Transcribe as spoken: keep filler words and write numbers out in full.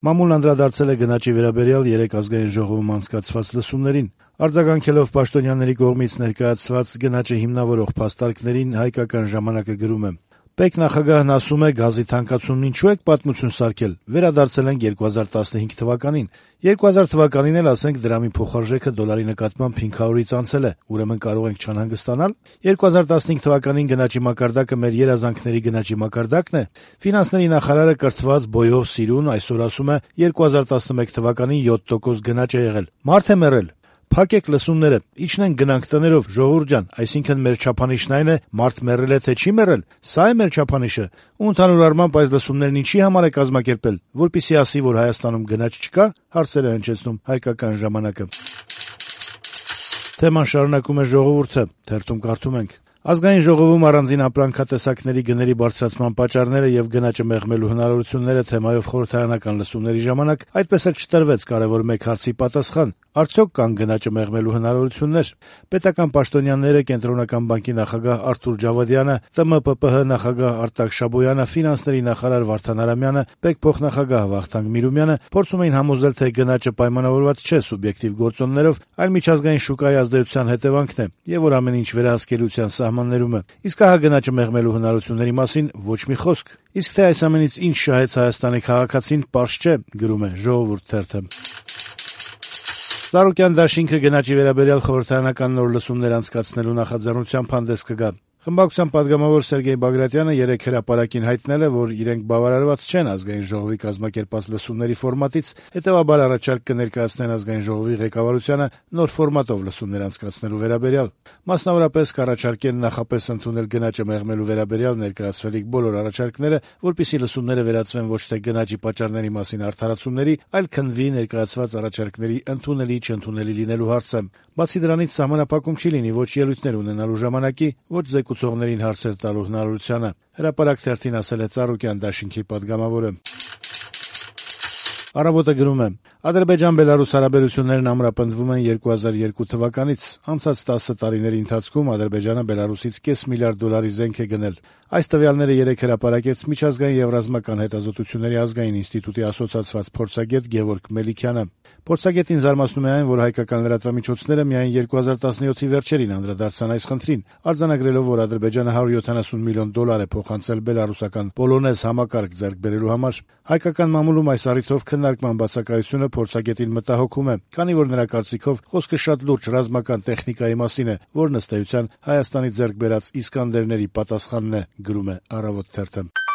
Մամուլն անդրադարձել է գնաճի վերաբերյալ երեկ ազգային ժողովում անցկացված լսումներին։ Արձագանքելով Պաշտոնյաների կողմից ներկայացված գնաճը հիմնավորող փաստարկներին, «Հայկական ժամանակ»-ը գրում է. «Պետ նախագահն ասում է՝ գազի թանկացումն ինչու եք պատմություն սարքել, վերադարձել ենք երկու հազար տասնհինգ թվականին։ երկու հազար թվականին էլ, ասենք, դրամի փոխարժեքը դոլարի նկատմամբ հինգ հարյուրից անցել է, ուրեմն կարող ենք չանհանգստանալ։ երկու հազար տասնհինգ թվականին գնաճի մակարդակը մեր երազանքների գնաճի մակարդակն է։ Ֆինանսների նախարարը կրթված, բոյով, սիրուն այսօր ասում է՝ երկու հազար տասնմեկ թվականին յոթ տոկոս գնաճ է եղել։ Մարդ է մեռել։ Փակեք լսումները, իջնենք գնանք տներով, ժողովուրդ ջան, այսինքն մեր չափանիշն այն է՝ մարդ մեռել է, թե չի մեռել։ Սա է մեր չափանիշը։ Ու ընդհանուր առմամբ այս լսումներն ինչի համար է կազմակերպել, որպեսզի ասի, որ Հայաստանում գնաճ չկա, հարցեր է հնչեցնում «Հայկական ժամանակ»-ը»։ Թեման շարունակում է «Ժողովուրդ»-ը, թերթում կարդում ենք. Ազգային ժողովում առանձին ապրանքատեսակների գների բարձրացման պատճառները եւ գնաճը մեղմելու հնարավորությունները թեմայով խորհրդարանական լսումների ժամանակ այդպես էլ չտրվեց կարեւոր մեկ հարցի պատասխան. արդյոք կան գնաճը մեղմելու հնարավորություններ։ Պետական պաշտոնյաները, Կենտրոնական բանկի նախագահ Արթուր Ջավադյանը, ՏՄՊՊՀ նախագահ Արտակ Շաբոյանը, ֆինանսների նախարար Վարդան Արամյանը, ՊԵԿ փոխնախագահ Վախթանգ Միրումյանը փորձում էին համոզել, թե գնաճը պայմանավորված չէ սուբյեկտիվ գործոններով, այլ միջազգային շուկայի ազդեցության հետևանքն է, եւ որ ամեն ինչ վերահսկելիության սահմաններում է։ Իսկ ահա գնաճը մեղմելու հնարավորությունների մասին ոչ մի խոսք։ Իսկ թե այս ամենից ինչ շահեց Հայաստանի քաղաքացին, պարզ չէ, գրում է «Ժողովուրդ» թերթը։ Ծառուկյան դաշինքը գնաճի վերաբերյալ խորհրդարանական նոր լսումներ անցկացնելու նախաձեռնությամբ հանդես կգա։ Խմբակցության պատգամավոր Սերգեյ Բագրատյանը երեկ հրապարակին հայտնել է, որ իրենք բավարարված չեն ազգային ժողովի կազմակերպած լսումների ֆորմատից, հետեւաբար առաջարկ կներկայացնեն ազգային ժողովի ղեկավարությանը նոր ֆորմատով լսումներ անցկացնելու վերաբերյալ։ Մասնավորապես կառաջարկեն նախապես ընդունել գնաճը մեղմելու վերաբերյալ ներկայացվելիք բոլոր առաջարկները, որպեսզի լսումները վերածվեն ոչ թե գնաճի պատճառների մասին արդարացումների, այլ քննվի ներկայացված առաջարկների ընդունելի-չընդունելի լինելու հարցը։ Բացի դրանից սահմանափակում չի լինի ոչ ելույթներ ունենալու ժամանակի, ոչ զեկուցողներին հարցեր տալու հնարավորությանը։ Հրապարակ թերթին ասել է Ծառուկյան դաշինքի պատգամավորը։ Առավոտը գրում է. Ադրբեջան-Բելարուս հարաբերություններն ամրապնդվում են երկու հազար երկու թվականից։ Անցած տասը տարիների ընթացքում Ադրբեջանը Բելարուսից կես միլիարդ դոլարի զենք է գնել։ Այս տվյալները երեկ հրապարակեց Միջազգային եւ ռազմական հետազոտությունների ազգային ինստիտուտի ասոցացված փորձագետ Գևորգ Մելիքյանը։ Փորձագետին զարմացնում է այն, որ հայկական լրատվամիջոցները միայն երկու հազար տասնյոթի վերջերին անդրադարձան այս խնդրին, արձանագրելով, որ Ադրբեջանը հարյուր յոթանասուն միլիոն դոլար է փոխանցել բելարուսական Պոլոնեզ համակարգ ձեռք բերելու համար։ Հայկական մամուլում այս առիթով քննարկման բացակայությունը փորձագետին մտահոգում է, քանի որ նրա կարծիքով խոսքը շատ լուրջ ռազմական տեխնիկայի մասին է, որն ըստ էության Հայաստանի ձեռք բերած Իսկանդերների պատասխանն է, գրում է «Առավոտ» թերթը։